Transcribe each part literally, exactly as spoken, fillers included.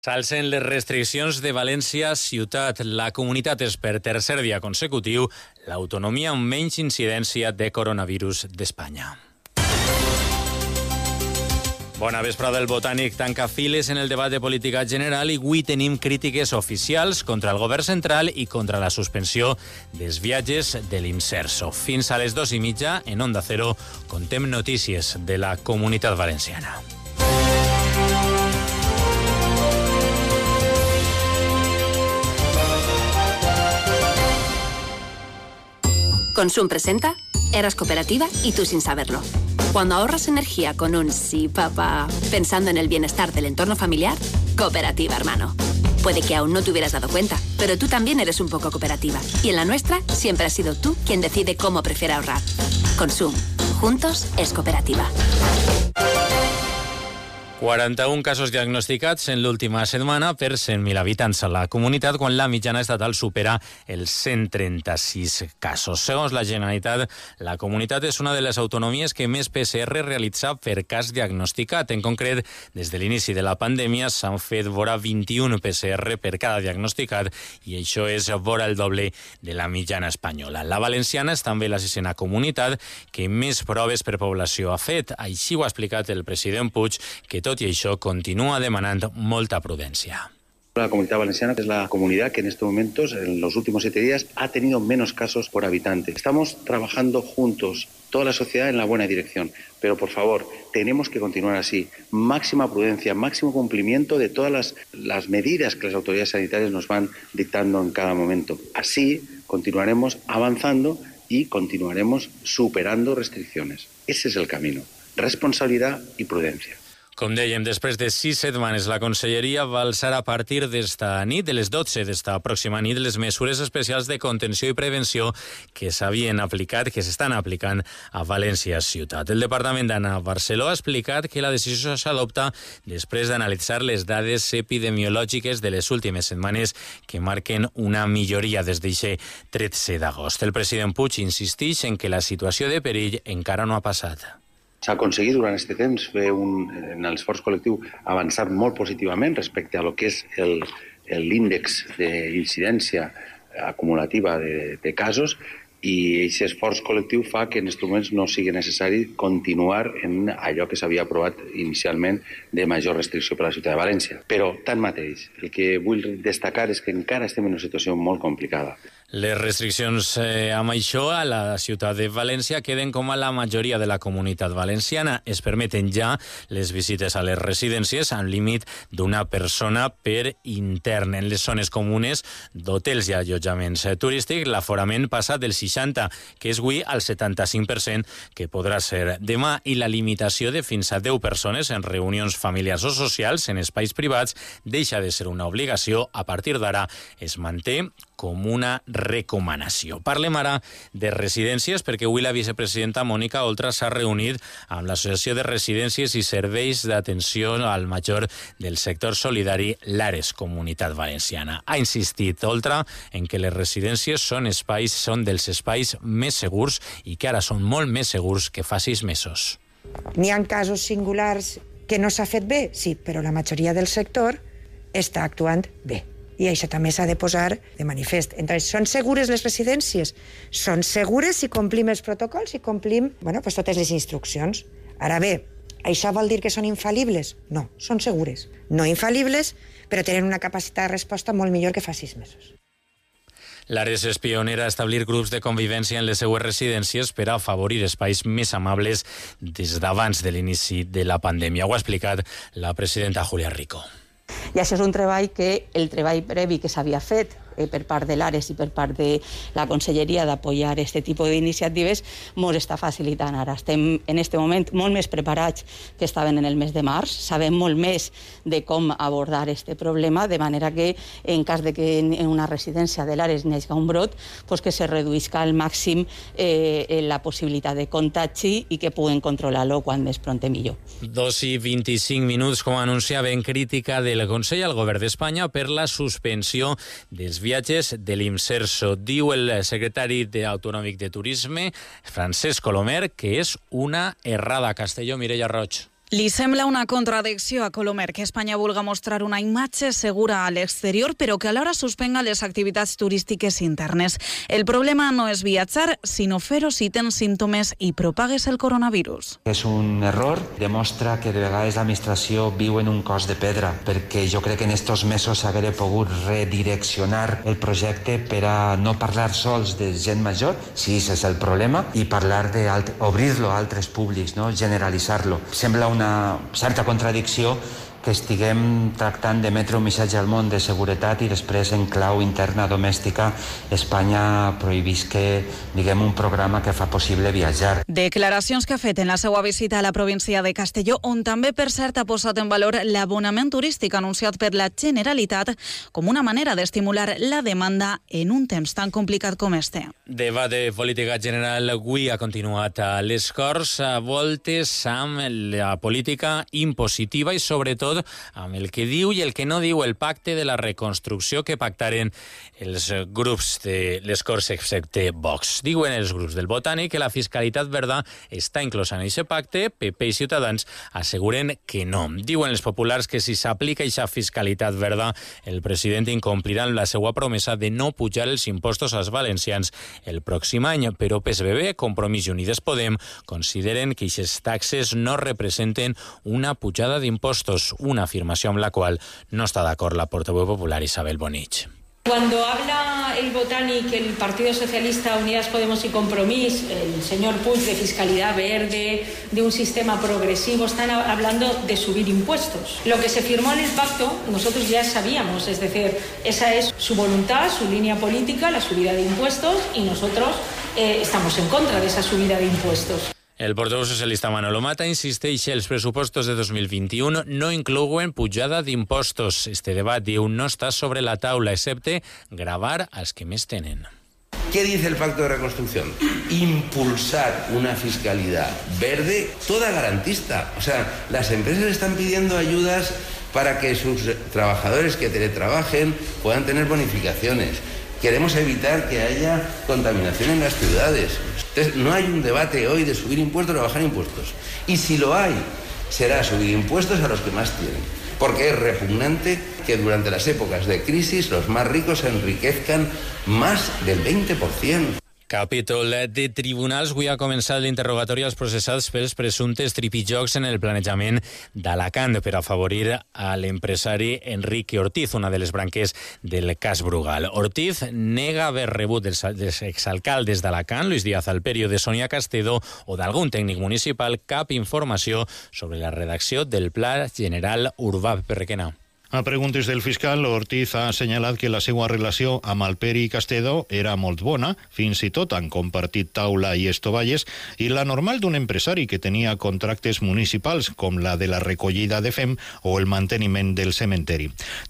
S'alcen les restriccions de València ciutat. La comunitat és per tercer dia consecutiu l'autonomia amb menys incidència de coronavirus d'Espanya. Bona vesprada. El Botànic tanca files en el debat de política general i avui tenim crítiques oficials contra el govern central i contra la suspensió dels viatges de l'Imserso. Fins a les dos i mitja, en Onda Cero, contem notícies de la Comunitat Valenciana. Consum presenta Eras Cooperativa y tú sin saberlo. Cuando ahorras energía con un sí, papá, pensando en el bienestar del entorno familiar, Cooperativa, hermano. Puede que aún no te hubieras dado cuenta, pero tú también eres un poco cooperativa. Y en la nuestra siempre has sido tú quien decide cómo prefiere ahorrar. Consum. Juntos es Cooperativa. quaranta-un casos diagnosticats en l'última setmana per cent mil habitants a la comunitat, quan la mitjana estatal supera els cent trenta-sis casos. Segons la Generalitat, la comunitat és una de les autonomies que més P C R realitza per cas diagnosticat. En concret, des de l'inici de la pandèmia s'han fet vora vint-i-un P C R per cada diagnosticat i això és vora el doble de la mitjana espanyola. La valenciana és també la sisena comunitat que més proves per població ha fet. Així ho ha explicat el president Puig, que tot y això continúa demandando molta prudencia. La Comunidad Valenciana es la comunidad que en estos momentos, en los últimos siete días, ha tenido menos casos por habitante. Estamos trabajando juntos, toda la sociedad, en la buena dirección. Pero, por favor, tenemos que continuar así. Máxima prudencia, máximo cumplimiento de todas las, las medidas que las autoridades sanitarias nos van dictando en cada momento. Así continuaremos avanzando y continuaremos superando restricciones. Ese es el camino. Responsabilidad y prudencia. Com dèiem, després de sis setmanes, la Conselleria va alçar a partir d'esta nit, de les dotze d'esta pròxima nit, les mesures especials de contenció i prevenció que s'havien aplicat, que s'estan aplicant a València ciutat. El Departament d'Anna Barceló ha explicat que la decisió s'adopta després d'analitzar les dades epidemiològiques de les últimes setmanes que marquen una milloria des d'aquest tretze d'agost. El president Puig insisteix en que la situació de perill encara no ha passat. S'ha aconseguit durant aquest temps fer un, en l'esforç col·lectiu avançar molt positivament respecte a lo que és el, l'índex d'incidència acumulativa de, de casos, i aquest esforç col·lectiu fa que en aquests moments no sigui necessari continuar en allò que s'havia aprovat inicialment de major restricció per a la ciutat de València. Però, tanmateix, el que vull destacar és que encara estem en una situació molt complicada. Les restriccions eh, amb això a la ciutat de València queden com a la majoria de la comunitat valenciana. Es permeten ja les visites a les residències amb límit d'una persona per intern. En les zones comunes d'hotels i allotjaments turístics, l'aforament passa del seixanta, que és avui al setanta-cinc per cent, que podrà ser demà, i la limitació de fins a deu persones en reunions familiars o socials en espais privats deixa de ser una obligació. A partir d'ara es manté com una recomanació. Parlem ara de residències perquè avui la vicepresidenta Mònica Oltra s'ha reunit amb l'Associació de Residències i Serveis d'Atenció al Major del sector solidari l'Ares Comunitat Valenciana. Ha insistit Oltra en que les residències són espais, són dels espais més segurs i que ara són molt més segurs que fa sis mesos. N'hi ha casos singulars que no s'ha fet bé, sí, però la majoria del sector està actuant bé. I això també s'ha de posar de manifest. Entonces, són segures les residències? Són segures si complim els protocols, si complim bueno, pues totes les instruccions. Ara bé, això vol dir que són infal·libles? No, són segures. No infal·libles, però tenen una capacitat de resposta molt millor que fa sis mesos. L'Ares és pionera a establir grups de convivència en les seues residències per a afavorir espais més amables des d'abans de l'inici de la pandèmia. Ho ha explicat la presidenta Julia Rico. I això és un treball que el treball previ que s'havia fet eh, per part de l'Ares i per part de la Conselleria d'apoyar aquest tipus d'iniciatives ens està facilitant ara. Estem en aquest moment molt més preparats que estaven en el mes de març, sabem molt més de com abordar aquest problema, de manera que en cas de que en una residència de l'Ares n'hi hagi un brot, pues que se reduïsca al màxim eh, la possibilitat de contagi i que puguen controlar-lo quan més pront millor. Dos i vint-i-cinc minuts, com anunciava, en crítica del Consell al Govern d'Espanya per la suspensió dels viatges de l'Imserso. Diu el secretari autonòmic de Turisme, Francesc Colomer, que és una errada. Castelló, Mireia Roig. Li sembla una contradicció a Colomer que Espanya vulga mostrar una imatge segura a l'exterior, però que alhora suspenga les activitats turístiques internes. El problema no és viatjar, sinó fer-ho si tens símptomes i propagues el coronavirus. És un error, demostra que de vegades l'administració viu en un cos de pedra, perquè jo crec que en estos mesos s'haguera pogut redireccionar el projecte per a no parlar sols de gent major, si és el problema, i parlar d'obrir-lo a altres públics, no? Generalitzar-lo. Sembla un una certa contradicció que estiguem tractant d'emetre un missatge al món de seguretat i després en clau interna domèstica Espanya prohibisca, diguem, un programa que fa possible viatjar. Declaracions que ha fet en la seva visita a la província de Castelló, on també, per cert, ha posat en valor l'abonament turístic anunciat per la Generalitat com una manera d'estimular la demanda en un temps tan complicat com este. Debat de política general avui ha continuat a les Corts, a voltes amb la política impositiva i, sobretot, amb el que diu i el que no diu el pacte de la reconstrucció que pactaren els grups de les Corts excepte Vox. Diuen els grups del Botànic que la fiscalitat verda està inclosa en aquest pacte, P P i Ciutadans asseguren que no. Diuen els populars que si s'aplica aquesta fiscalitat verda, el president incomplirà la seva promesa de no pujar els impostos als valencians el pròxim any, però P S B B, Compromís i Unides Podem consideren que aquestes taxes no representen una pujada d'impostos, una afirmació amb la qual no està d'acord la portaveu popular Isabel Bonich. Cuando habla el Botànic, el Partido Socialista, Unidas Podemos y Compromís, el señor Puig, de fiscalidad verde, de un sistema progresivo, están hablando de subir impuestos. Lo que se firmó en el pacto, nosotros ya sabíamos, es decir, esa es su voluntad, su línea política, la subida de impuestos, y nosotros eh, estamos en contra de esa subida de impuestos. El portaveu socialista Manolo Mata insisteix que els pressupostos de dos mil vint-i-u no inclouen pujada d'impostos. Este debat, diu, no està sobre la taula, excepte gravar als que més tenen. ¿Qué dice el Pacto de Reconstrucción? Impulsar una fiscalidad verde, toda garantista. O sea, las empresas están pidiendo ayudas para que sus trabajadores que teletrabajen puedan tener bonificaciones. Queremos evitar que haya contaminación en las ciudades. Entonces, no hay un debate hoy de subir impuestos o bajar impuestos. Y si lo hay, será subir impuestos a los que más tienen. Porque es repugnante que durante las épocas de crisis los más ricos se enriquezcan más del veinte por ciento. Capítol de tribunals. Avui ha començat l'interrogatori als processats pels presumptes tripijocs en el planejament d'Alacant per afavorir a l'empresari Enrique Ortiz, una de les branques del cas Brugal. Ortiz nega haver rebut dels, dels exalcaldes d'Alacant, Luis Díaz Alperio, de Sonia Castedo o d'algun tècnic municipal, cap informació sobre la redacció del Pla General Urbà. Perrequena. A preguntes del fiscal, Ortiz ha assenyalat que la seva relació amb Alperi i Castedo era molt bona, fins i tot han compartit taula i estovalles, i la normal d'un empresari que tenia contractes municipals, com la de la recollida de fem o el manteniment del cementeri.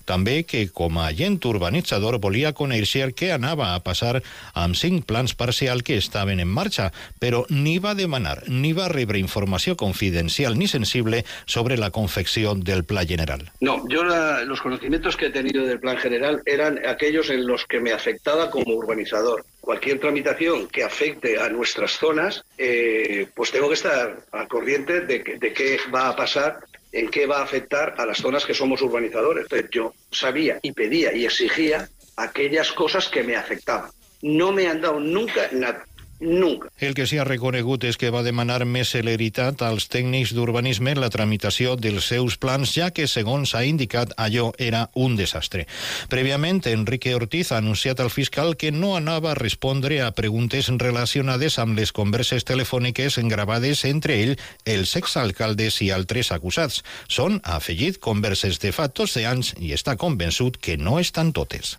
També que, com a agent urbanitzador, volia conèixer què anava a passar amb cinc plans parcials que estaven en marxa, però ni va demanar ni va rebre informació confidencial ni sensible sobre la confecció del Pla General. No, yo la los conocimientos que he tenido del plan general eran aquellos en los que me afectaba como urbanizador. Cualquier tramitación que afecte a nuestras zonas, eh, pues tengo que estar al corriente de, que, de qué va a pasar, en qué va a afectar a las zonas que somos urbanizadores. Entonces yo sabía y pedía y exigía aquellas cosas que me afectaban. No me han dado nunca nada. Nunca. El que s'hi ha reconegut és que va demanar més celeritat als tècnics d'urbanisme en la tramitació dels seus plans, ja que, segons ha indicat, allò era un desastre. Prèviament, Enrique Ortiz ha anunciat al fiscal que no anava a respondre a preguntes relacionades amb les converses telefòniques gravades entre ell, els exalcaldes i altres acusats. Són, ha afegit, converses de fa dotze anys i està convençut que no estan totes.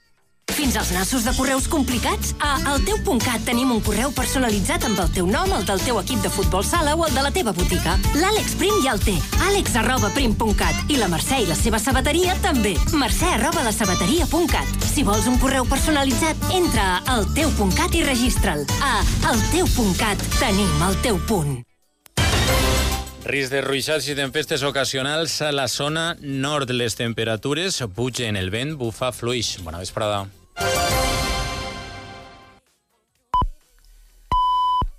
Fins als nassos de correus complicats? A alteu.cat tenim un correu personalitzat amb el teu nom, el del teu equip de futbol sala o el de la teva botiga. L'Àlex Prim ja el té. àlex arroba prim punt cat. I la Mercè i la seva sabateria també. Mercè arroba la sabateria punt cat. Si vols un correu personalitzat, entra a alteu.cat i registra'l. A alteu.cat tenim el teu punt. Risc de ruixats i tempestes ocasionals a la zona nord. Les temperatures pugen, el vent bufa fluix. Bona vesprada.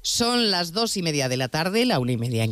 Son las dos y media de la tarde, la una y media en